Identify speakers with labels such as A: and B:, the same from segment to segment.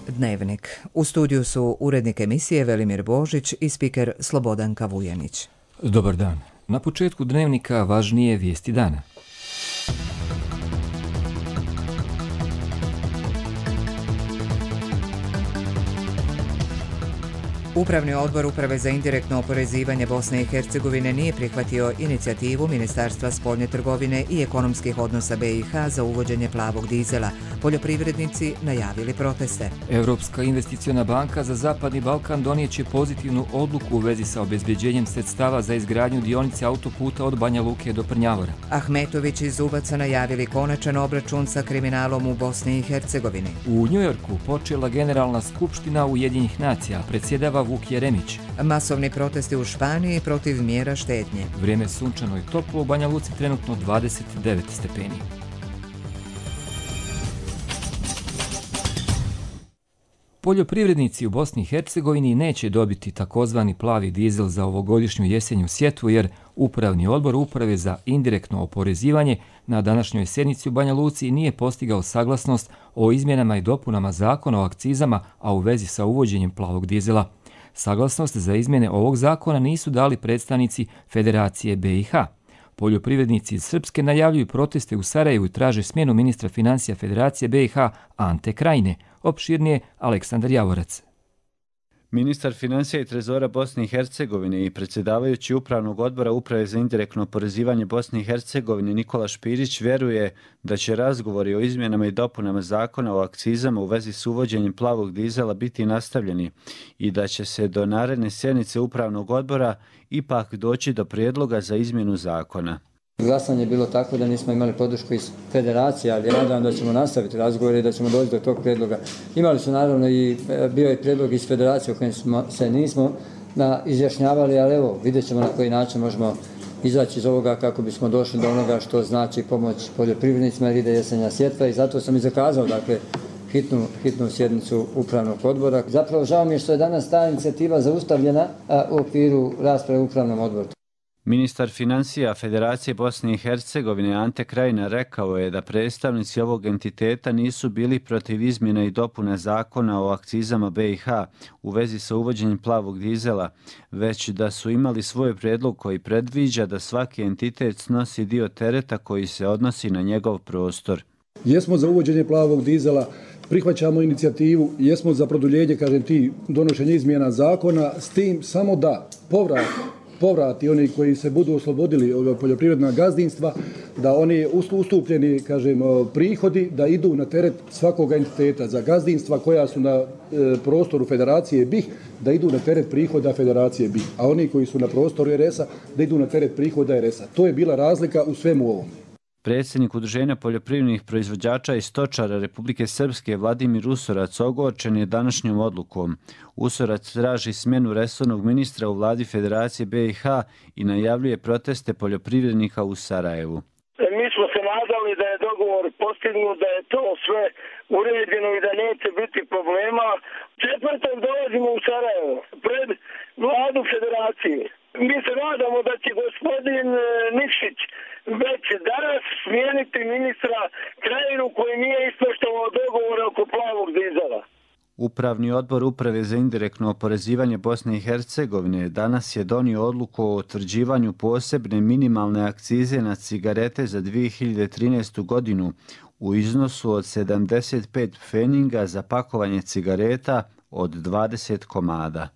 A: Dnevnik. U studiju su urednik emisije Velimir Božić i spiker Slobodanka Vujanić.
B: Dobar dan. Na početku Dnevnika važnije vijesti dana.
A: Upravni odbor Uprave za indirektno oporezivanje Bosne i Hercegovine nije prihvatio inicijativu Ministarstva spoljne trgovine i ekonomskih odnosa BiH za uvođenje plavog dizela. Poljoprivrednici najavili proteste.
B: Europska investiciona banka za Zapadni Balkan donijeće pozitivnu odluku u vezi sa obezbeđenjem sredstava za izgradnju dionice autoputa od Banja Luke do Prnjavora.
A: Ahmetović i Zubaca najavili konačan obračun sa kriminalom u Bosni i Hercegovini.
B: U Njujorku počela Generalna skupština Ujedinjenih nacija, predsjedava Vuk Jeremić.
A: Masovni protesti u Španiji protiv mjera štednje.
B: Vrijeme sunčano i toplo, u Banja Luci trenutno 29 stepeni. Poljoprivrednici u Bosni i Hercegovini neće dobiti takozvani plavi dizel za ovogodišnju jesenju sjetvu jer Upravni odbor Uprave za indirektno oporezivanje na današnjoj sjednici u Banja Luci nije postigao saglasnost o izmjenama i dopunama zakona o akcizama, a u vezi sa uvođenjem plavog dizela. Saglasnost za izmjene ovog zakona nisu dali predstavnici Federacije BiH. Poljoprivrednici iz Srpske najavljuju proteste u Sarajevu i traže smjenu ministra financija Federacije BiH Ante Krajine. Opširnije Aleksandar Javorac.
C: Ministar financija i trezora Bosne i Hercegovine i predsjedavajući Upravnog odbora Uprave za indirektno oporezivanje Bosne i Hercegovine Nikola Špirić vjeruje da će razgovori o izmjenama i dopunama zakona o akcizama u vezi s uvođenjem plavog dizela biti nastavljeni i da će se do naredne sjednice Upravnog odbora ipak doći do prijedloga za izmjenu zakona.
D: Glasanje je bilo tako da nismo imali podršku iz Federacije, ali nadam da ćemo nastaviti razgovore i da ćemo doći do tog prijedloga. Imali su naravno i bio je prijedlog iz Federacije o kojem se nismo izjašnjavali, ali evo vidjet ćemo na koji način možemo izaći iz ovoga kako bismo došli do onoga što znači pomoć poljoprivrednicima jer ide jesenja sjetva i zato sam i zakazao hitnu sjednicu Upravnog odbora. Zapravo žao mi je što je danas ta inicijativa zaustavljena u okviru rasprave u Upravnom odboru.
C: Ministar financija Federacije Bosne i Hercegovine Ante Krajina rekao je da predstavnici ovog entiteta nisu bili protiv izmjena i dopuna zakona o akcizama BiH u vezi sa uvođenjem plavog dizela, već da su imali svoj prijedlog koji predviđa da svaki entitet snosi dio tereta koji se odnosi na njegov prostor.
E: Jesmo za uvođenje plavog dizela, prihvaćamo inicijativu, jesmo za produljenje, donošenje izmjena zakona, s tim samo da povrati oni koji se budu oslobodili poljoprivredna gazdinstva, da oni ustupljeni, prihodi da idu na teret svakog entiteta za gazdinstva koja su na prostoru Federacije BiH, da idu na teret prihoda Federacije BiH, a oni koji su na prostoru RS-a da idu na teret prihoda RS-a. To je bila razlika u svemu ovom.
C: Predsjednik Udruženja poljoprivrednih proizvođača i stočara Republike Srpske Vladimir Usorac ogorčen je današnjom odlukom. Usorac traži smjenu resornog ministra u vladi Federacije BiH i najavljuje proteste poljoprivrednika u Sarajevu.
F: Mi smo se nadali da je dogovor postignut, da je to sve uređeno i da neće biti problema. Četvrtom dolazimo u Sarajevo pred vladu Federacije. Mi se nadamo da će gospodin Nikšić već danas smijeniti ministra Krajinu koji nije ispoštovao dogovor oko plavog dizela.
C: Upravni odbor Uprave za indirektno oporezivanje Bosne i Hercegovine danas je donio odluku o utvrđivanju posebne minimalne akcize na cigarete za 2013. godinu u iznosu od 75 pfeninga za pakovanje cigareta od 20 komada.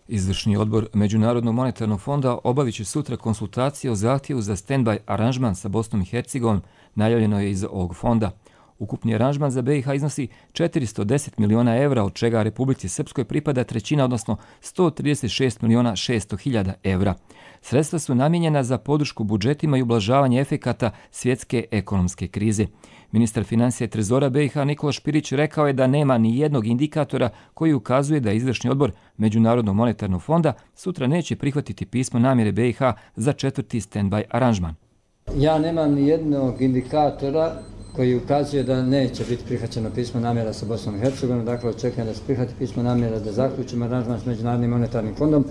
B: Izvršni odbor Međunarodnog monetarnog fonda obavit će sutra konsultacije o zahtjevu za stand-by aranžman sa Bosnom i Hercegovinom, najavljeno je iz ovog fonda. Ukupni aranžman za BiH iznosi 410 miliona evra, od čega Republici Srpskoj pripada trećina, odnosno 136 miliona 600 hiljada evra. Sredstva su namijenjena za podršku budžetima i ublažavanje efekata svjetske ekonomske krize. Ministar financija i trezora BiH Nikola Špirić rekao je da nema ni jednog indikatora koji ukazuje da izvršni odbor Međunarodnog monetarnog fonda sutra neće prihvatiti pismo namjere BiH za četvrti stand-by aranžman.
D: Ja nemam ni jednog indikatora koji ukazuje da neće biti prihvaćeno pismo namjera sa Bosnom i Hercegovinom. Dakle, očekujem da se prihvati pismo namjera da zaključimo aranžman s Međunarodnim monetarnim fondom,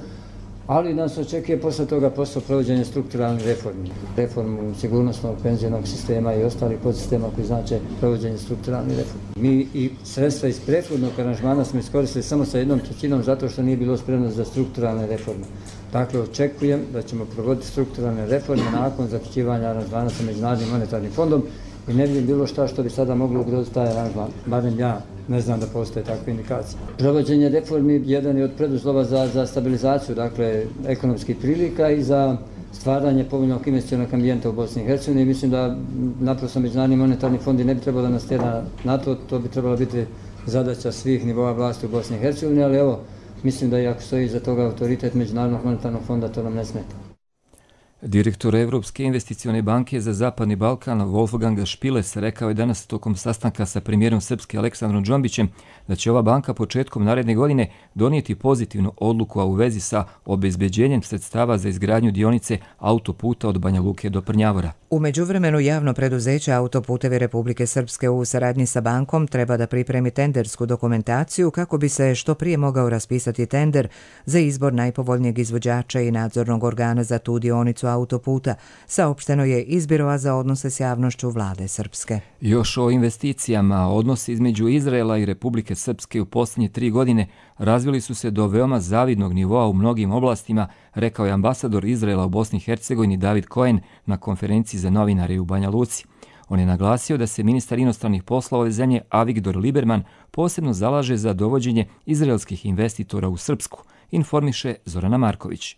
D: ali nas očekuje posle toga posao provođenja strukturalnih reformi. Reformu sigurnosnog penzionog sistema i ostalih podsistema koji znače provođenje strukturalnih reformi. Mi i sredstva iz prethodnog aranžmana smo iskoristili samo sa 1/3 zato što nije bilo spremno za strukturalne reforme. Dakle, očekujem da ćemo provoditi strukturalne reforme nakon zaključivanja aranžmana sa Međunarodnim monetarnim fondom i ne vidim bilo šta što bi sada moglo ugroziti taj aranžman. Barem ja ne znam da postoje takve indikacije. Provođenje reformi jedan je od preduslova za stabilizaciju, dakle, ekonomskih prilika i za stvaranje povoljnog investicionog ambijenta u Bosni i Hercegovini. Mislim da naprosto Međunarodni monetarni fond ne bi trebalo da nas tjera na to, to bi trebalo biti zadaća svih nivoa vlasti u Bosni i Hercegovini, ali evo, mislim da i ako stoji iza toga autoritet Međunarodnog monetarnog fonda, to nam ne smeta.
B: Direktor Evropske investicione banke za Zapadni Balkan Wolfgang Špiles rekao je danas tokom sastanka sa premijerom Srpske Aleksandrom Džombićem da će ova banka početkom naredne godine donijeti pozitivnu odluku a u vezi sa obezbeđenjem sredstava za izgradnju dionice autoputa od Banja Luke do Prnjavora.
A: U međuvremenu javno preduzeće Autoputevi Republike Srpske u saradnji sa bankom treba da pripremi tendersku dokumentaciju kako bi se što prije mogao raspisati tender za izbor najpovoljnijeg izvođača i nadzornog organa za tu dionicu autoputa, saopšteno je iz Biroa za odnose s javnošću vlade Srpske.
B: Još o investicijama, odnosi između Izraela i Republike Srpske u posljednje 3 godine razvili su se do veoma zavidnog nivoa u mnogim oblastima, rekao je ambasador Izraela u Bosni i Hercegovini David Cohen na konferenciji za novinare u Banja Luci. On je naglasio da se ministar inostranih poslova ove zemlje Avigdor Lieberman posebno zalaže za dovođenje izraelskih investitora u Srpsku, informiše Zorana Marković.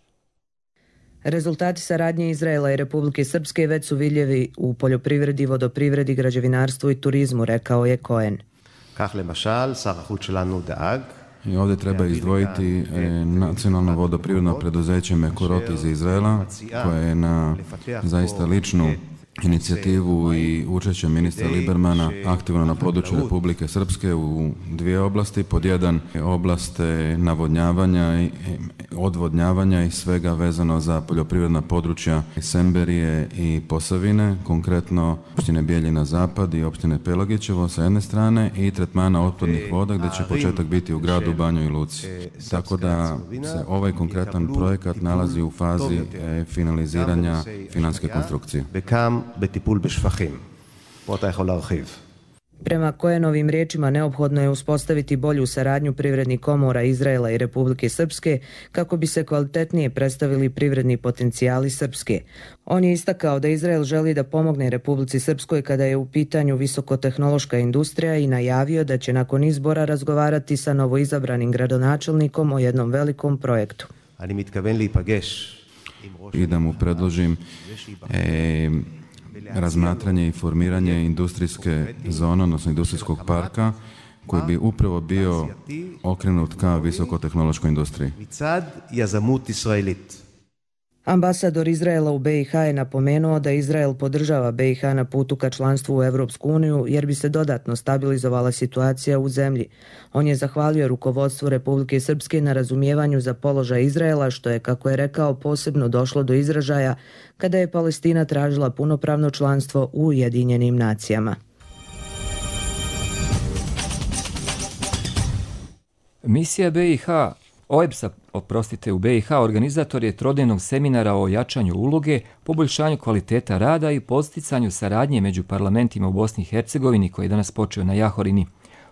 G: Rezultati saradnje Izraela i Republike Srpske već su vidljivi u poljoprivredi, vodoprivredi, građevinarstvu i turizmu, rekao je Cohen.
H: I ovdje treba izdvojiti nacionalno vodoprivredno preduzeće Mekorot iz Izraela, koje je na zaista ličnu inicijativu i učešće ministra Liebermana aktivno na području Republike Srpske u 2 oblasti. Pod 1 oblast navodnjavanja i odvodnjavanja i svega vezano za poljoprivredna područja Semberije i Posavine, konkretno opštine Bijeljina Zapad i opštine Pelagićevo sa jedne strane i tretmana otpadnih voda gdje će početak biti u gradu Banjoj i Luci. Tako da se ovaj konkretan projekat nalazi u fazi finaliziranja financijske konstrukcije.
I: בטיפול בשפכים. פה אתה יכול להרחיב.
G: Prema Cohenovim riječima neophodno je uspostaviti bolju saradnju privrednih komora Izraela i Republike Srpske kako bi se kvalitetnije predstavili privredni potencijali Srpske. On je istakao da Izrael želi da pomogne Republici Srpskoj kada je u pitanju visokotehnološka industrija i najavio da će nakon izbora razgovarati sa novoizabranim gradonačelnikom o jednom velikom projektu.
H: I da mu predložim razmatranje i formiranje industrijske zone, odnosno industrijskog parka, koji bi upravo bio okrenut ka visokotehnološkoj industriji.
G: Ambasador Izraela u BiH je napomenuo da Izrael podržava BiH na putu ka članstvu u Evropsku uniju jer bi se dodatno stabilizovala situacija u zemlji. On je zahvalio rukovodstvu Republike Srpske na razumijevanju za položaj Izraela, što je, kako je rekao, posebno došlo do izražaja kada je Palestina tražila punopravno članstvo u Ujedinjenim nacijama.
B: Misija BiH OEBS-a, u BiH organizator je trodnevnog seminara o jačanju uloge, poboljšanju kvaliteta rada i podsticanju saradnje među parlamentima u Bosni i Hercegovini koji je danas počeo na Jahorini.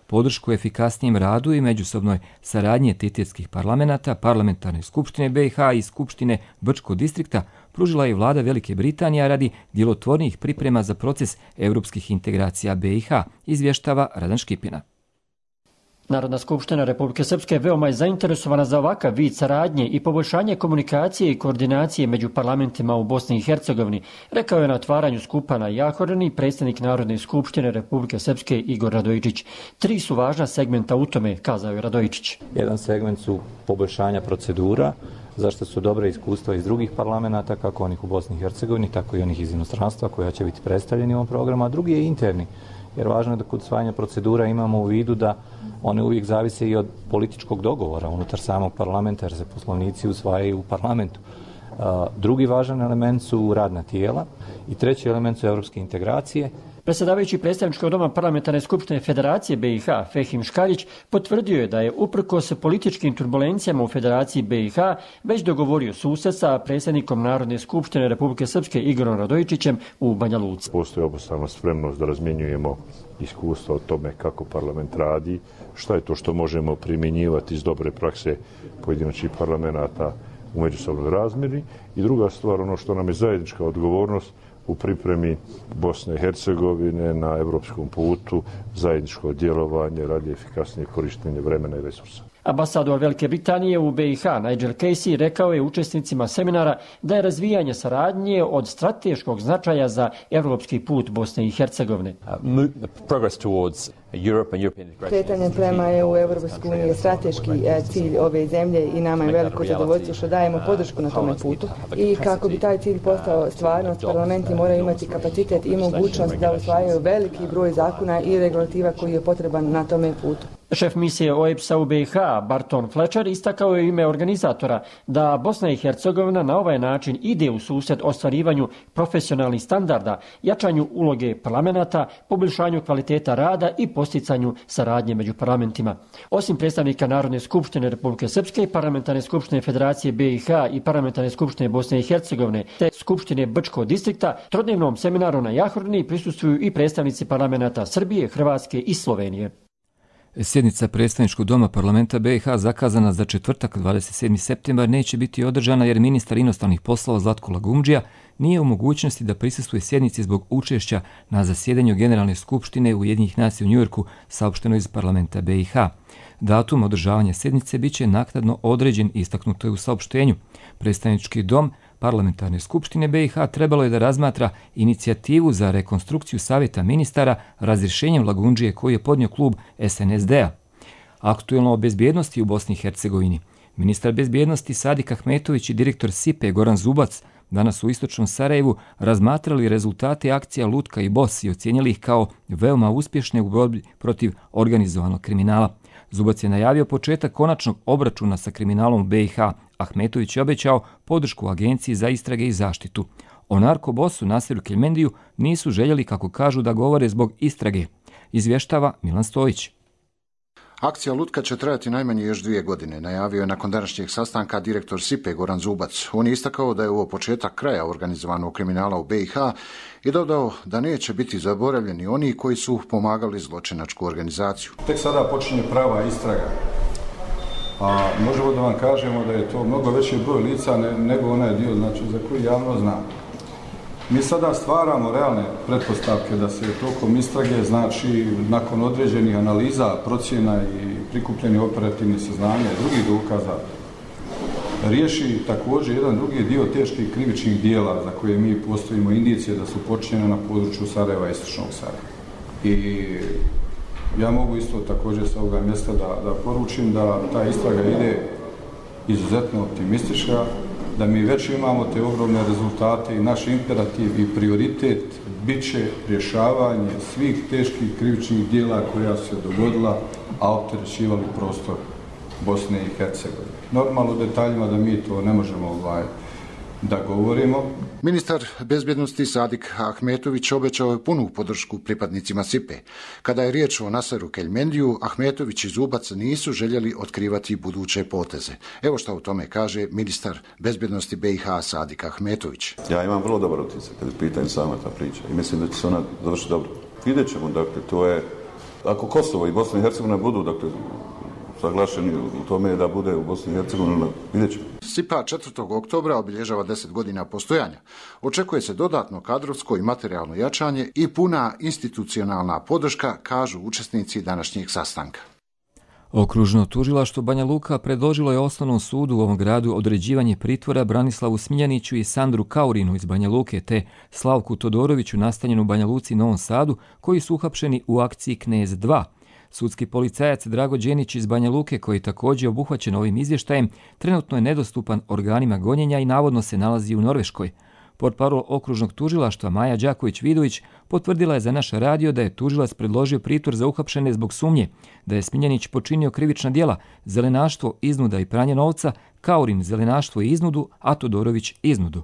B: Podršku efikasnijem radu i međusobnoj saradnje titetskih parlamenta, parlamentarne skupštine BiH i skupštine Brčkog distrikta pružila je vlada Velike Britanije radi djelotvornijih priprema za proces evropskih integracija BiH, izvještava Radan Škipina.
J: Narodna skupština Republike Srpske veoma je zainteresovana za ovakav vid saradnje i poboljšanje komunikacije i koordinacije među parlamentima u Bosni i Hercegovini, rekao je na otvaranju skupa na Jahorini predsjednik Narodne skupštine Republike Srpske Igor Radojičić. 3 su važna segmenta u tome, kazao je Radojičić.
K: Jedan segment su poboljšanja procedura, zašto su dobre iskustva iz drugih parlamenta, kako onih u Bosni i Hercegovini, tako i onih iz inostranstva koja će biti predstavljeni u ovom programu, a drugi je interni. Jer važno je da kod usvajanja procedura imamo u vidu da one uvijek zavise i od političkog dogovora unutar samog parlamenta, jer se poslovnici usvajaju u parlamentu. Drugi važan element su radna tijela i treći element su evropske integracije
J: Predsjedavajući predstavničkog doma Parlamentarne skupštine Federacije BiH Fehim Škarić potvrdio je da je uprkos političkim turbulencijama u Federaciji BiH već dogovorio susret sa predsjednikom Narodne skupštine Republike Srpske Igorom Radojičićem u Banja Luci.
L: Postoji obostrana spremnost da razmjenjujemo iskustva o tome kako parlament radi, šta je to što možemo primjenjivati iz dobre prakse pojedinačnih parlamenata u međusobnoj razmjeri i druga stvar, ono što nam je zajednička odgovornost u pripremi Bosne i Hercegovine na evropskom putu, zajedničko djelovanje radi efikasnije korištenje vremena i resursa.
J: Ambasador Velike Britanije u BiH Nigel Casey rekao je učesnicima seminara da je razvijanje saradnje od strateškog značaja za evropski put Bosne i Hercegovine.
M: Kretanje prema EU je strateški cilj ove zemlje i nama je veliko zadovoljstvo što dajemo podršku na tome putu. I kako bi taj cilj postao stvarnost, parlamenti moraju imati kapacitet i mogućnost da usvajaju veliki broj zakona i regulativa koji je potreban na tome putu.
J: Šef misije OEBS-a u BiH Barton Fletcher istakao je ime organizatora da Bosna i Hercegovina na ovaj način ide u susret ostvarivanju profesionalnih standarda, jačanju uloge parlamenta, poboljšanju kvaliteta rada i posticanju saradnje među parlamentima. Osim predstavnika Narodne skupštine Republike Srpske, Parlamentarne skupštine Federacije BiH i Parlamentarne skupštine Bosne i Hercegovine te Skupštine Brčkog distrikta, trodnevnom seminaru na Jahorni prisustvuju i predstavnici parlamenta Srbije, Hrvatske i Slovenije.
B: Sjednica predstavničkog doma parlamenta BiH zakazana za četvrtak 27. septembar neće biti održana jer ministar inostranih poslova Zlatko Lagumdžija nije u mogućnosti da prisustvuje sjednici zbog učešća na zasjedanju Generalne skupštine Ujedinjenih nacija u Njujorku, saopšteno iz parlamenta BiH. Datum održavanja sjednice biće naknadno određen, istaknuto je u saopštenju. Predstavnički dom Parlamentarne skupštine BiH trebalo je da razmatra inicijativu za rekonstrukciju savjeta ministara razrješenjem Lagumdžije koji je podnio klub SNSD-a. Aktuelno o bezbjednosti u Bosni i Hercegovini. Ministar bezbjednosti Sadik Ahmetović i direktor SIPE Goran Zubac danas u istočnom Sarajevu razmatrali rezultate akcija Lutka i Bos i ocijenili ih kao veoma uspješne u borbi protiv organizovanog kriminala. Zubac je najavio početak konačnog obračuna sa kriminalom u BiH. Ahmetović je obećao podršku Agenciji za istrage i zaštitu. O narkobosu Nasiru Keljmendiju nisu željeli, kako kažu, da govore zbog istrage. Izvještava Milan Stojić.
N: Akcija Lutka će trajati najmanje još 2 godine, najavio je nakon današnjeg sastanka direktor SIPE Goran Zubac. On je istakao da je ovo početak kraja organizovanog kriminala u BiH i dodao da neće biti zaboravljeni oni koji su pomagali zločinačku organizaciju.
O: Tek sada počinje prava istraga. A možemo da vam kažemo da je to mnogo veći broj lica nego onaj dio, znači, za koji javno zna. Mi sada stvaramo realne pretpostavke da se tokom istrage, znači nakon određenih analiza, procjena i prikupljenih operativnih saznanja i drugih dokaza, riješi također jedan drugi dio teških krivičnih dijela za koje mi postojimo indicije da su počinjene na području Sarajeva i istočnog Sarajeva. I ja mogu isto također sa ovoga mjesta da poručim da ta istraga ide izuzetno optimistička, da mi već imamo te ogromne rezultate i naš imperativ i prioritet bit će rješavanje svih teških krivičnih dijela koja su se dogodila, a opterećivali prostor Bosne i Hercegovine. Normalno u detaljima da mi to ne možemo da govorimo.
N: Ministar bezbjednosti Sadik Ahmetović obećao je punu podršku pripadnicima SIPE. Kada je riječ o Nasiru Keljmendiju, Ahmetović i Zubac nisu željeli otkrivati buduće poteze. Evo što o tome kaže ministar bezbjednosti BiH Sadik Ahmetović.
P: Ja imam vrlo dobar utisak kada je pitanje sama ta priča i mislim da će se ona završiti dobro. Vidjet ćemo, dakle, to je, ako Kosovo i Bosna i Hercegovina budu, dakle, saglašeni u tome da bude u Bosni i Hercegovini, vidjet ćemo.
N: SIPA 4. oktobra obilježava 10 godina postojanja. Očekuje se dodatno kadrovsko i materijalno jačanje i puna institucionalna podrška, kažu učesnici današnjeg sastanka.
B: Okružno tužilaštvo Banja Luka predložilo je Osnovnom sudu u ovom gradu određivanje pritvora Branislavu Smiljaniću i Sandru Kaurinu iz Banja Luke te Slavku Todoroviću nastanjenu u Banja Luci i Novom Sadu koji su uhapšeni u akciji Knez 2. Sudski policajac Drago Đenić iz Banja Luke, koji je također obuhvaćen ovim izvještajem, trenutno je nedostupan organima gonjenja i navodno se nalazi u Norveškoj. Portparol okružnog tužilaštva Maja Đaković-Vidović potvrdila je za naš radio da je tužilac predložio pritvor za uhapšene zbog sumnje da je Smiljanić počinio krivična djela zelenaštvo, iznuda i pranje novca, Kaurin zelenaštvo i iznudu, a Todorović iznudu.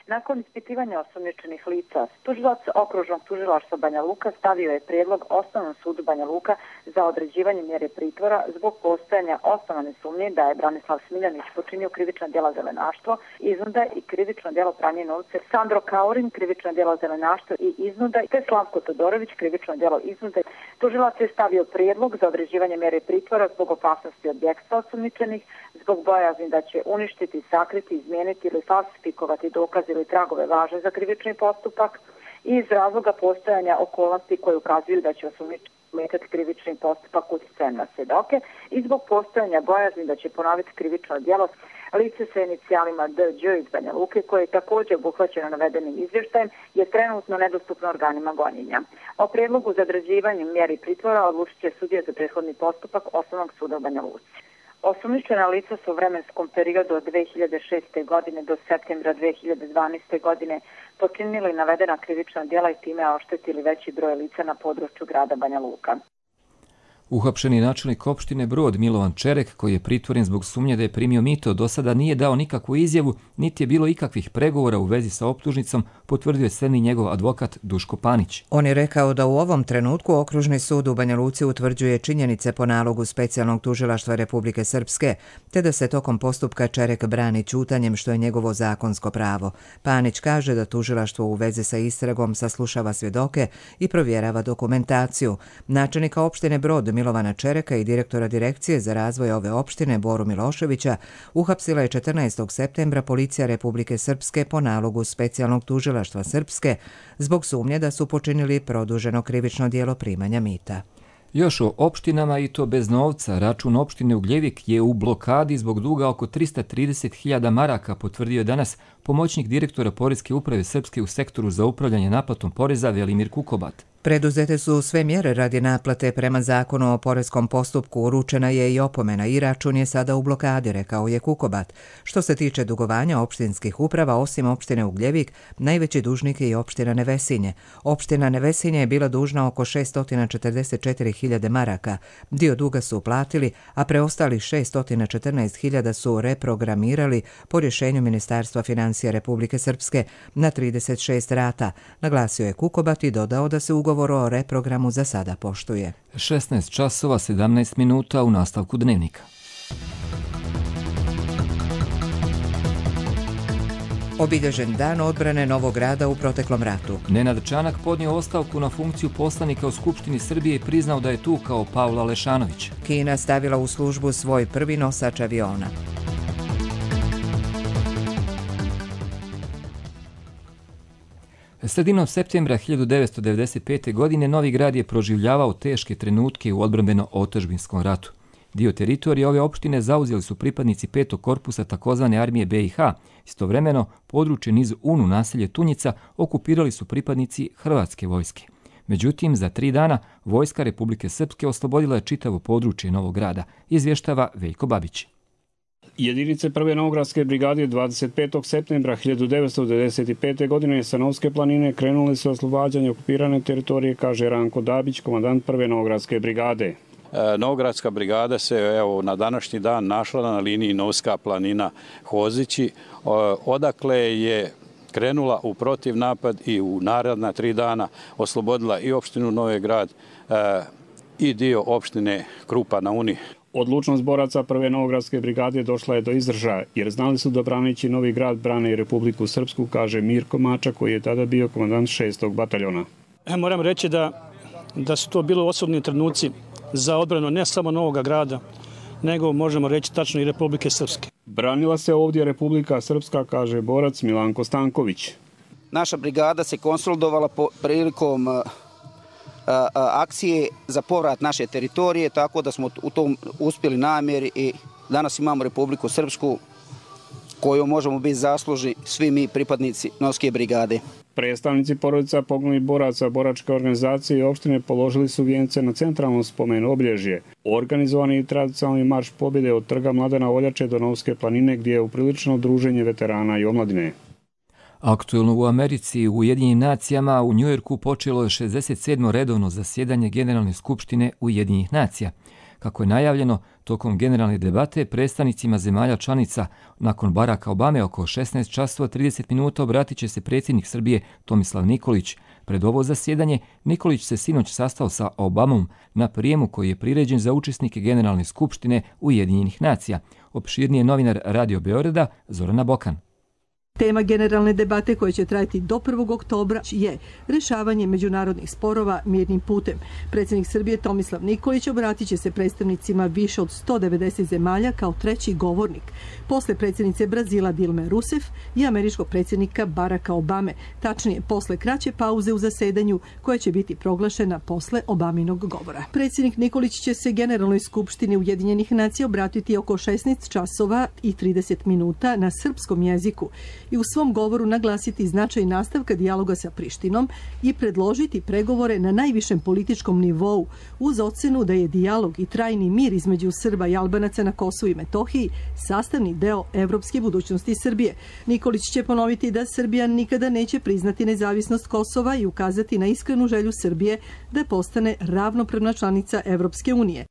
Q: Nakon ispitivanja osumnjičenih lica, tužilac okružnog tužilaštva Banja Luka stavio je prijedlog Osnovnom sudu Banja Luka za određivanje mjere pritvora zbog postojanja osnovane sumnje da je Branislav Smiljanić počinio krivično djelo zelenaštvo, iznuda i krivično djelo pranje novca, Sandro Kaurin krivično djelo zelenaštvo i iznuda, te Slavko Todorović krivično djelo iznude. Tužilac je stavio prijedlog za određivanje mjere pritvora zbog opasnosti od bjegstva osumnjičenih, zbog bojazni da će uništiti, sakriti, izmijeniti ili falsifikovati dokaze ili tragove važne za krivični postupak i iz razloga postojanja okolnosti koje ukazuju da će osumnjičeni ometati krivični postupak utjecajem na svjedoke i zbog postojanja bojazni da će ponoviti krivično djelo lice sa inicijalima D.Đ. iz Banja Luke, koje je također obuhvaćeno navedenim izvještajem, je trenutno nedostupno organima gonjenja. O prijedlogu za određivanje mjeri pritvora odlučit će sudija za prethodni postupak Osnovnog suda u Banja Luci. Osumnjičena lica su u vremenskom periodu od 2006. godine do septembra 2012. godine počinili navedena krivična djela i time oštetili veći broj lica na području grada Banja Luka.
B: Uhapšeni načelnik opštine Brod Milovan Čerek, koji je pritvoren zbog sumnje da je primio mito, do sada nije dao nikakvu izjavu, niti je bilo ikakvih pregovora u vezi sa optužnicom, potvrdio je sedmi njegov advokat Duško Panić.
A: On je rekao da u ovom trenutku Okružni sud u Banja Luci utvrđuje činjenice po nalogu Specijalnog tužilaštva Republike Srpske, te da se tokom postupka Čerek brani ćutanjem, što je njegovo zakonsko pravo. Panić kaže da tužilaštvo u vezi sa istragom saslušava svjedoke i provjerava dokumentaciju. Načelnika opštine Brod Milovana Čereka i direktora Direkcije za razvoj ove opštine Boru Miloševića uhapsila je 14. septembra policija Republike Srpske po nalogu Specijalnog tužilaštva Srpske zbog sumnje da su počinili produženo krivično djelo primanja mita.
B: Još o opštinama, i to bez novca. Račun opštine Ugljevik je u blokadi zbog duga oko 330.000 maraka, potvrdio je danas pomoćnik direktora Poreske uprave Srpske u sektoru za upravljanje naplatom poreza Velimir Kukobat.
A: Preduzete su sve mjere radi naplate prema zakonu o poreskom postupku, uručena je i opomena i račun je sada u blokadi, rekao je Kukobat. Što se tiče dugovanja opštinskih uprava, osim opštine Ugljevik, najveći dužnik je i opština Nevesinje. Opština Nevesinje je bila dužna oko 644.000 maraka. Dio duga su uplatili, a preostalih 614.000 su reprogramirali po rješenju Ministarstva financija Republike Srpske na 36 rata, naglasio je Kukobat i dodao da se ugovor o reprogramu za sada poštuje.
B: 16 časova 17 minuta u nastavku dnevnika.
A: Obilježen dan odbrane Novog Grada u proteklom ratu.
B: Nenad Čanak podnio ostavku na funkciju poslanika u Skupštini Srbije i priznao da je tu kao Pavla Lešanović.
A: Kina stavila u službu svoj prvi nosač aviona.
B: Sredinom septembra 1995. godine Novi Grad je proživljavao teške trenutke u odbrambeno-otadžbinskom ratu. Dio teritorije ove opštine zauzeli su pripadnici 5. korpusa takozvane armije BiH. Istovremeno, područje niz Unu, naselje Tunjica, okupirali su pripadnici Hrvatske vojske. Međutim, za 3 dana vojska Republike Srpske oslobodila je čitavo područje Novog Grada, izvještava Veljko Babić.
R: Jedinice prve Novogradske brigade 25. septembra 1995. godine sa Novske planine krenule su oslobađanje okupirane teritorije, kaže Ranko Dabić, komandant prve Novogradske brigade.
S: Novogradska brigada se na današnji dan našla na liniji Novska planina Hozići, odakle je krenula u protivnapad i u naredna 3 dana oslobodila i opštinu Novi Grad i dio opštine Krupa na Uni.
R: Odlučnost boraca prve Novogradske brigade došla je do izražaja, jer znali su da braneći Novi Grad brane i Republiku Srpsku, kaže Mirko Mača, koji je tada bio komandant 6. bataljona.
T: Moram reći da su to bili osobni trenuci za odbranu ne samo Novog Grada, nego možemo reći tačno i Republike Srpske.
R: Branila se ovdje Republika Srpska, kaže borac Milanko Stanković.
U: Naša brigada se konsolidovala prilikom akcije za povrat naše teritorije, tako da smo u tom uspjeli namjeri i danas imamo Republiku Srpsku koju možemo biti zaslužni svi mi pripadnici Novske brigade.
R: Predstavnici porodica poginulih boraca boračke organizacije i opštine položili su vijence na centralnom spomenu obilježje. Organizovani tradicionalni marš pobjede od trga Mladena Oljače do Novske planine, gdje je upriličeno druženje veterana i omladine.
B: Aktuelno u Americi, u Ujedinjenim nacijama, u Njujorku počelo je 67. redovno zasjedanje Generalne skupštine Ujedinjenih nacija. Kako je najavljeno, tokom generalne debate predstavnicima zemalja članica nakon Baracka Obame oko 16 časova 30 minuta obratit će se predsjednik Srbije Tomislav Nikolić. Pred ovo zasjedanje Nikolić se sinoć sastao sa Obamom na prijemu koji je priređen za učesnike Generalne skupštine Ujedinjenih nacija. Opširnije novinar Radio Beograda Zorana Bokan.
E: Tema generalne debate koja će trajati do 1. oktobra je rješavanje međunarodnih sporova mirnim putem. Predsjednik Srbije Tomislav Nikolić obratit će se predstavnicima više od 190 zemalja kao treći govornik. Posle predsjednice Brazila Dilme Rousseff i američkog predsjednika Baracka Obame, tačnije posle kraće pauze u zasedanju koja će biti proglašena posle Obaminog govora. Predsjednik Nikolić će se Generalnoj skupštini Ujedinjenih nacija obratiti oko 16 časova i 30 minuta na srpskom jeziku i u svom govoru naglasiti značaj nastavka dijaloga sa Prištinom i predložiti pregovore na najvišem političkom nivou uz ocenu da je dijalog i trajni mir između Srba i Albanaca na Kosovu i Metohiji sastavni deo evropske budućnosti Srbije. Nikolić će ponoviti da Srbija nikada neće priznati nezavisnost Kosova i ukazati na iskrenu želju Srbije da postane ravnopravna članica Evropske unije.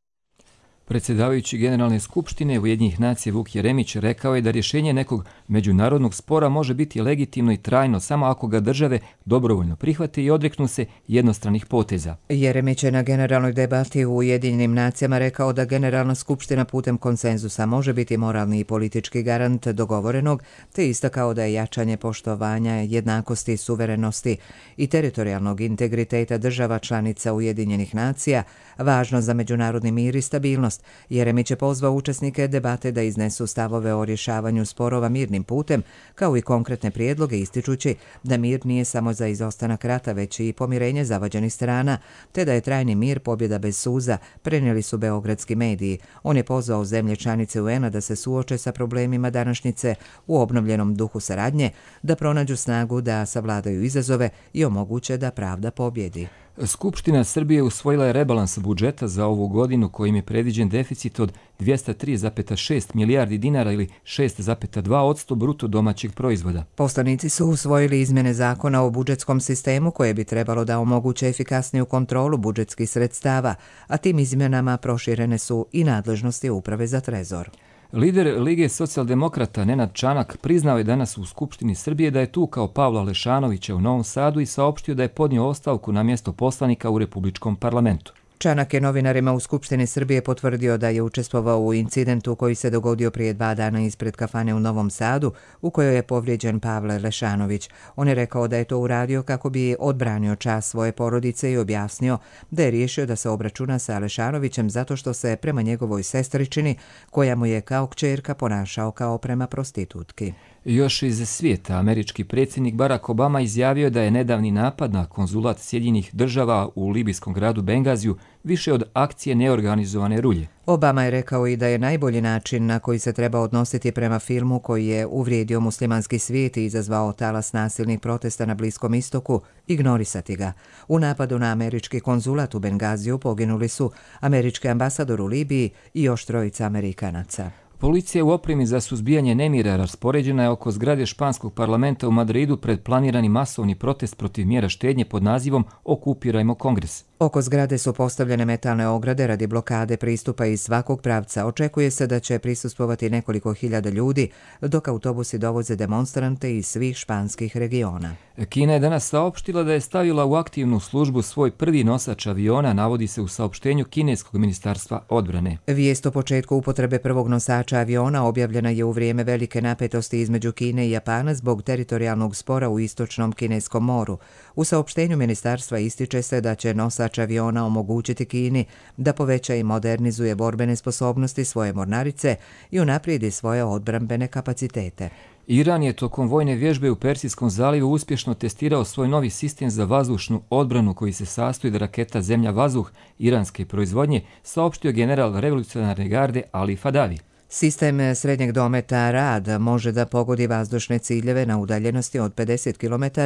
B: Predsjedavajući Generalne skupštine Ujedinjenih nacija Vuk Jeremić rekao je da rješenje nekog međunarodnog spora može biti legitimno i trajno samo ako ga države dobrovoljno prihvate i odreknu se jednostranih poteza.
A: Jeremić je na generalnoj debati u Ujedinjenim nacijama rekao da Generalna skupština putem konsenzusa može biti moralni i politički garant dogovorenog, te istakao da je jačanje poštovanja jednakosti, suverenosti i teritorijalnog integriteta država članica Ujedinjenih nacija važno za međunarodni mir i stabilnost. Jeremić je pozvao učesnike debate da iznesu stavove o rješavanju sporova mirnim putem, kao i konkretne prijedloge ističući da mir nije samo za izostanak rata, već i pomirenje zavađenih strana, te da je trajni mir pobjeda bez suza, prenijeli su beogradski mediji. On je pozvao zemlje članice UN-a da se suoče sa problemima današnjice u obnovljenom duhu saradnje, da pronađu snagu da savladaju izazove i omoguće da pravda pobjedi.
B: Skupština Srbije usvojila je rebalans budžeta za ovu godinu kojim je predviđen deficit od 203,6 milijardi dinara ili 6,2% bruto domaćeg proizvoda.
A: Poslanici su usvojili izmjene zakona o budžetskom sistemu koje bi trebalo da omoguće efikasniju kontrolu budžetskih sredstava, a tim izmjenama proširene su i nadležnosti Uprave za trezor.
B: Lider Lige socijaldemokrata Nenad Čanak priznao je danas u Skupštini Srbije da je tukao Pavla Lešanovića u Novom Sadu i saopštio da je podnio ostavku na mjesto poslanika u Republičkom parlamentu.
A: Čanak je novinarima u Skupštini Srbije potvrdio da je učestvovao u incidentu koji se dogodio prije 2 dana ispred kafane u Novom Sadu, u kojoj je povrijeđen Pavle Lešanović. On je rekao da je to uradio kako bi odbranio čast svoje porodice i objasnio da je riješio da se obračuna sa Lešanovićem zato što se prema njegovoj sestričini, koja mu je kao kćerka, ponašao kao prema prostitutki.
B: Još iz svijeta, američki predsjednik Barack Obama izjavio da je nedavni napad na konzulat Sjedinjenih država u libijskom gradu Bengaziju više od akcije neorganizovane rulje.
A: Obama je rekao i da je najbolji način na koji se treba odnositi prema filmu koji je uvrijedio muslimanski svijet i izazvao talas nasilnih protesta na Bliskom istoku, ignorisati ga. U napadu na američki konzulat u Bengaziju poginuli su američki ambasador u Libiji i još 3 Amerikanaca.
B: Policija u opremi za suzbijanje nemira raspoređena je oko zgrade španskog parlamenta u Madridu pred planirani masovni protest protiv mjera štednje pod nazivom Okupirajmo Kongres.
A: Oko zgrade su postavljene metalne ograde radi blokade pristupa iz svakog pravca. Očekuje se da će prisustvovati nekoliko hiljada ljudi, dok autobusi dovoze demonstrante iz svih španskih regiona.
B: Kina je danas saopštila da je stavila u aktivnu službu svoj prvi nosač aviona, navodi se u saopštenju kineskog ministarstva odbrane.
A: Vijest o početku upotrebe prvog nosača aviona objavljena je u vrijeme velike napetosti između Kine i Japana zbog teritorijalnog spora u istočnom Kineskom moru. U saopštenju ministarstva ističe se da će nosač aviona omogućiti Kini da poveća i modernizuje borbene sposobnosti svoje mornarice i unaprijedi svoje odbrambene kapacitete.
B: Iran je tokom vojne vježbe u Persijskom zalivu uspješno testirao svoj novi sistem za vazdušnu odbranu koji se sastoji od raketa Zemlja-vazduh iranske proizvodnje, saopštio general revolucionarne garde Ali Fadavi.
A: Sistem srednjeg dometa RAD može da pogodi vazdušne ciljeve na udaljenosti od 50 km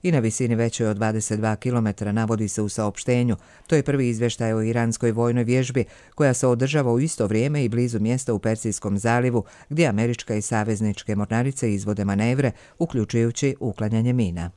A: i na visini većoj od 22 km, navodi se u saopštenju. To je prvi izvještaj o iranskoj vojnoj vježbi koja se održava u isto vrijeme i blizu mjesta u Persijskom zalivu gdje američka i savezničke mornarice izvode manevre, uključujući uklanjanje mina.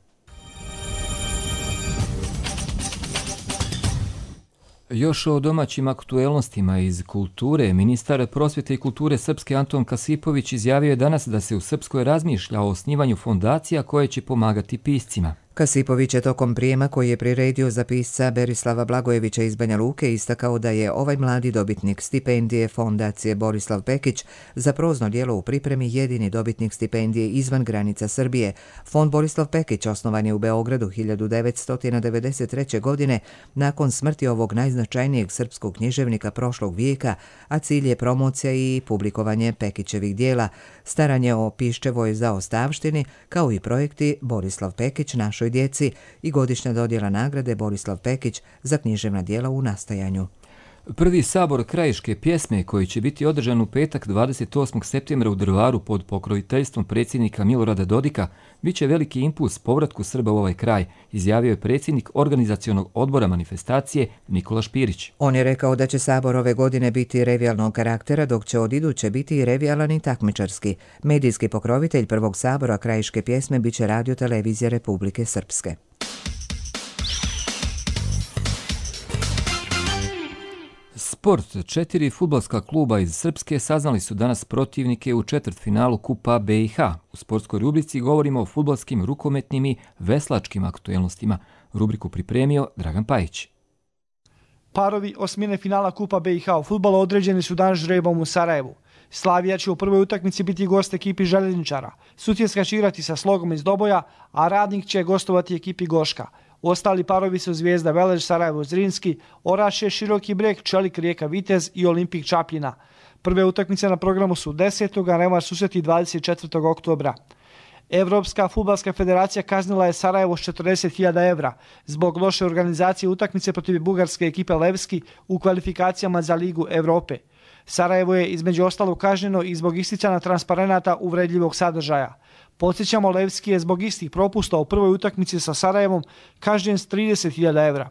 B: Još o domaćim aktuelnostima iz kulture, ministar prosvjete i kulture Srpske Anton Kasipović izjavio je danas da se u Srpskoj razmišlja o osnivanju fondacija koje će pomagati piscima.
A: Kasipović je tokom prijema koji je priredio za pisca Berislava Blagojevića iz Banja Luke istakao da je ovaj mladi dobitnik stipendije Fondacije Borislav Pekić za prozno djelo u pripremi jedini dobitnik stipendije izvan granica Srbije. Fond Borislav Pekić osnovan je u Beogradu 1993. godine nakon smrti ovog najznačajnijeg srpskog književnika prošlog vijeka, a cilj je promocija i publikovanje Pekićevih djela, staranje o Piščevoj zaostavštini, kao i projekti Borislav Pekić našoj djeci i godišnja dodjela nagrade Borislav Pekić za književna djela u nastajanju.
B: Prvi sabor krajiške pjesme koji će biti održan u petak 28. septembra u Drvaru pod pokroviteljstvom predsjednika Milorada Dodika bit će veliki impuls povratku Srba u ovaj kraj, izjavio je predsjednik organizacionog odbora manifestacije Nikola Špirić.
A: On je rekao da će sabor ove godine biti revijalnog karaktera, dok će od iduće biti i revijalan i takmičarski. Medijski pokrovitelj prvog sabora krajiške pjesme bit će Radio Televizija Republike Srpske.
B: Sport. 4 fudbalska kluba iz Srpske saznali su danas protivnike u četvrtfinalu Kupa BiH. U sportskoj rubrici govorimo o fudbalskim, rukometnim i veslačkim aktuelnostima. Rubriku pripremio Dragan Pajić.
F: Parovi osmine finala Kupa BiH u fudbalu određeni su danas žrebom u Sarajevu. Slavija će u prvoj utakmici biti gost ekipi Željezničara. Sutjeska će igrati sa Slogom iz Doboja, a Radnik će gostovati ekipi Goška. Ostali parovi su Zvijezda Velež, Sarajevo Zrinski, Orašje, Široki Breg, Čelik Rijeka Vitez i Olimpik Čapljina. Prve utakmice na programu su 10. a revanš susreti 24. oktobra. Evropska fudbalska federacija kaznila je Sarajevo s 40.000 evra zbog loše organizacije utakmice protiv bugarske ekipe Levski u kvalifikacijama za Ligu Evrope. Sarajevo je između ostalog kažnjeno i zbog isticanja transparenata uvredljivog sadržaja. Podsjećamo, Levski je zbog istih propusta u prvoj utakmici sa Sarajevom kažnjen s 30.000 evra.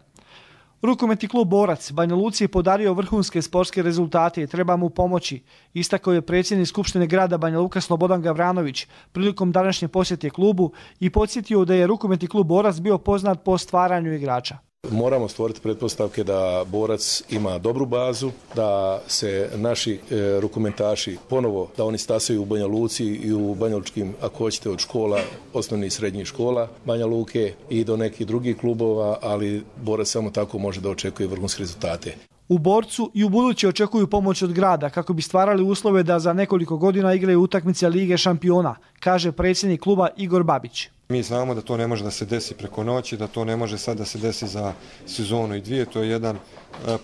F: Rukometni klub Borac Banja Luci je podario vrhunske sportske rezultate i treba mu pomoći, istakao je predsjednik Skupštine grada Banja Luka Slobodan Gavranović prilikom današnje posjete klubu i podsjetio da je rukometni klub Borac bio poznat po stvaranju igrača.
V: Moramo stvoriti pretpostavke da Borac ima dobru bazu, da se naši rukometaši ponovo, da oni stasaju u Banja Luci i u banjalučkim, ako hoćete, od škola, osnovnih i srednjih škola Banja Luke i do nekih drugih klubova, ali Borac samo tako može da očekuje vrhunske rezultate.
F: U Borcu i u buduće očekuju pomoć od grada kako bi stvarali uslove da za nekoliko godina igraju utakmice Lige šampiona, kaže predsjednik kluba Igor Babić.
W: Mi znamo da to ne može da se desi preko noći, da to ne može sad da se desi za sezonu i dvije. To je jedan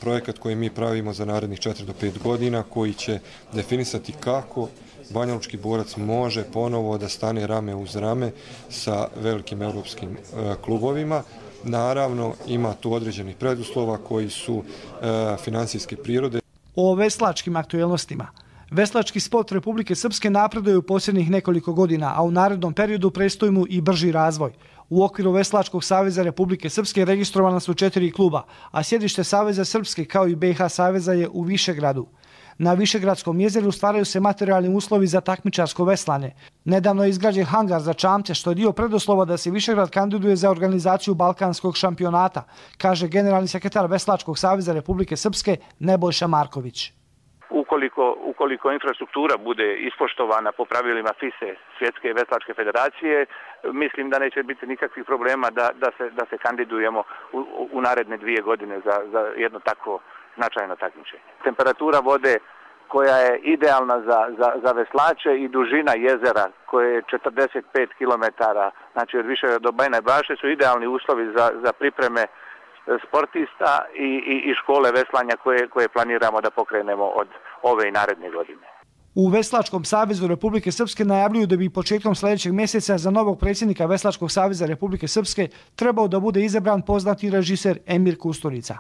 W: projekat koji mi pravimo za narednih 4 do 5 godina, koji će definisati kako banjalučki Borac može ponovo da stane rame uz rame sa velikim europskim klubovima. Naravno, ima tu određenih preduslova koji su finansijske prirode.
F: O veslačkim aktuelnostima. Veslački sport Republike Srpske napreduje u posljednjih nekoliko godina, a u narednom periodu predstoji mu i brži razvoj. U okviru Veslačkog saveza Republike Srpske registrovana su 4 kluba, a sjedište Saveza Srpske kao i BiH Saveza je u Višegradu. Na Višegradskom jezeru stvaraju se materijalni uslovi za takmičarsko veslanje. Nedavno je izgrađen hangar za čamce, što je dio preduslova da se Višegrad kandiduje za organizaciju Balkanskog šampionata, kaže generalni sekretar Veslačkog saveza Republike Srpske Nebojša Marković.
X: Ukoliko infrastruktura bude ispoštovana po pravilima FISE, Svjetske veslačke federacije, mislim da neće biti nikakvih problema da se kandidujemo u naredne 2 godine za jedno takvo značajno takmičenje. Temperatura vode koja je idealna za veslače i dužina jezera koje je 45 km, znači od Višegrada do Bajine Baše, su idealni uslovi za pripreme sportista i škole veslanja koje planiramo da pokrenemo od ove i naredne godine.
F: U Veslačkom savezu Republike Srpske najavljuju da bi početkom sljedećeg mjeseca za novog predsjednika Veslačkog saveza Republike Srpske trebao da bude izabran poznati režiser Emir Kusturica.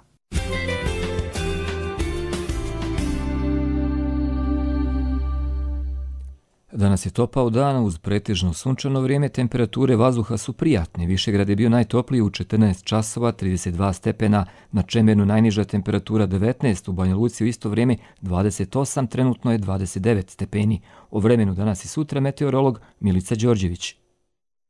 B: Danas je topao dan uz pretežno sunčano vrijeme, temperature vazduha su prijatne. Višegrad je bio najtopliji u 14 časova, 32 stepena, na Čemernu najniža temperatura 19, u Banja Luci u isto vrijeme 28, trenutno je 29 stepeni. O vremenu danas i sutra meteorolog Milica Đorđević.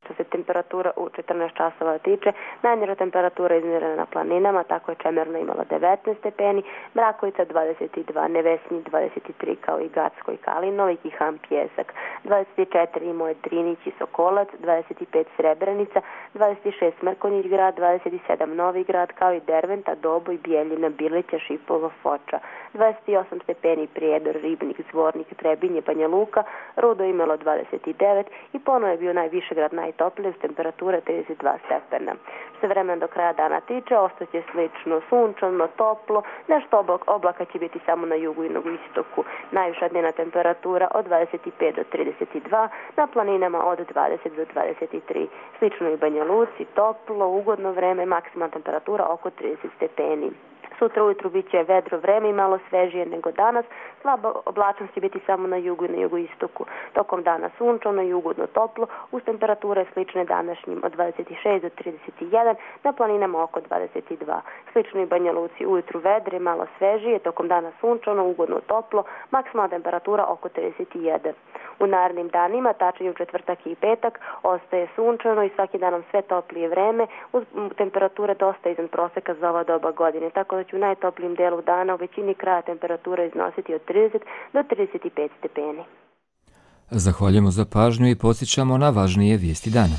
Y: Što se temperatura
C: temperatura u 14 časova tiče, najniža temperatura izmjerena na planinama, tako je Čemerna imala 19 stepeni, Mrakovica 22, Nevesnji 23 kao i Gacko i Kalinović i Ham Pjesak, 24 imao je Drinić i Sokolac, 25 Srebrenica, 26 Mrkonjić grad, 27 Novi grad kao i Derventa, Doboj, Bijeljina, Bilića, Šipovo, Foča, 28 stepeni Prijedor, Ribnik, Zvornik, Trebinje, Banja Luka, Rudo imalo 29 i ponovo je bio najvišegrad najtoplije s temperature 32 stepena. Što se vremena do kraja dana tiče, ostaće slično sunčano, toplo, nešto oblaka će biti samo na jugu i na istoku. Najviša dnevna temperatura od 25 do 32, na planinama od 20 do 23. Slično i Banja Luci, toplo, ugodno vreme, maksimalna temperatura oko 30 stepeni. Sutra ujutru bit će vedro vreme i malo svežije nego danas. Slaba oblačnost će biti samo na jugu i na jugoistoku. Tokom dana sunčano i ugodno toplo, uz temperature slične današnjim od 26 do 31, na planinama oko 22. Slično i Banja Luci, ujutru vedre, malo svežije, tokom dana sunčano, ugodno toplo, maksimalna temperatura oko 31. U narednim danima, tačnije u četvrtak i petak, ostaje sunčano i svaki dan nam sve toplije vreme, uz temperature dosta iznad proseka za ova doba godine, tako da će u najtoplijim delu dana u većini kraja temperatura iznositi od 30 do 35 stepeni.
B: Zahvaljujemo za pažnju i podsjećamo na važnije vijesti dana.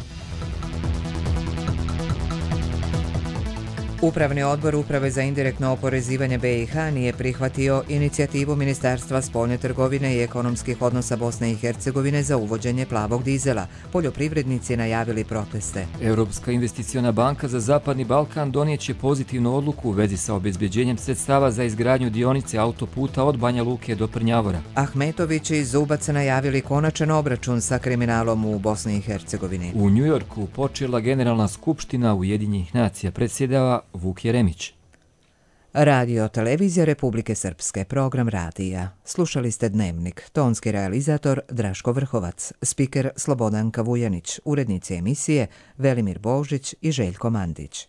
A: Upravni odbor Uprave za indirektno oporezivanje BiH nije prihvatio inicijativu Ministarstva spoljne trgovine i ekonomskih odnosa Bosne i Hercegovine za uvođenje plavog dizela. Poljoprivrednici najavili proteste.
B: Europska investiciona banka za Zapadni Balkan donijeće pozitivnu odluku u vezi sa obezbeđenjem sredstava za izgradnju dionice autoputa od Banja Luke do Prnjavora.
A: Ahmetović i Zubac najavili konačan obračun sa kriminalom u Bosni i Hercegovini.
B: U Njujorku počela Generalna skupština Ujedinjenih nacija, predsjedava Vuk Jeremić.
A: Radio Televizija Republike Srpske, program radija. Slušali ste Dnevnik, tonski realizator Draško Vrhovac, spiker Slobodanka Vujanić, urednici emisije Velimir Božić i Željko Mandić.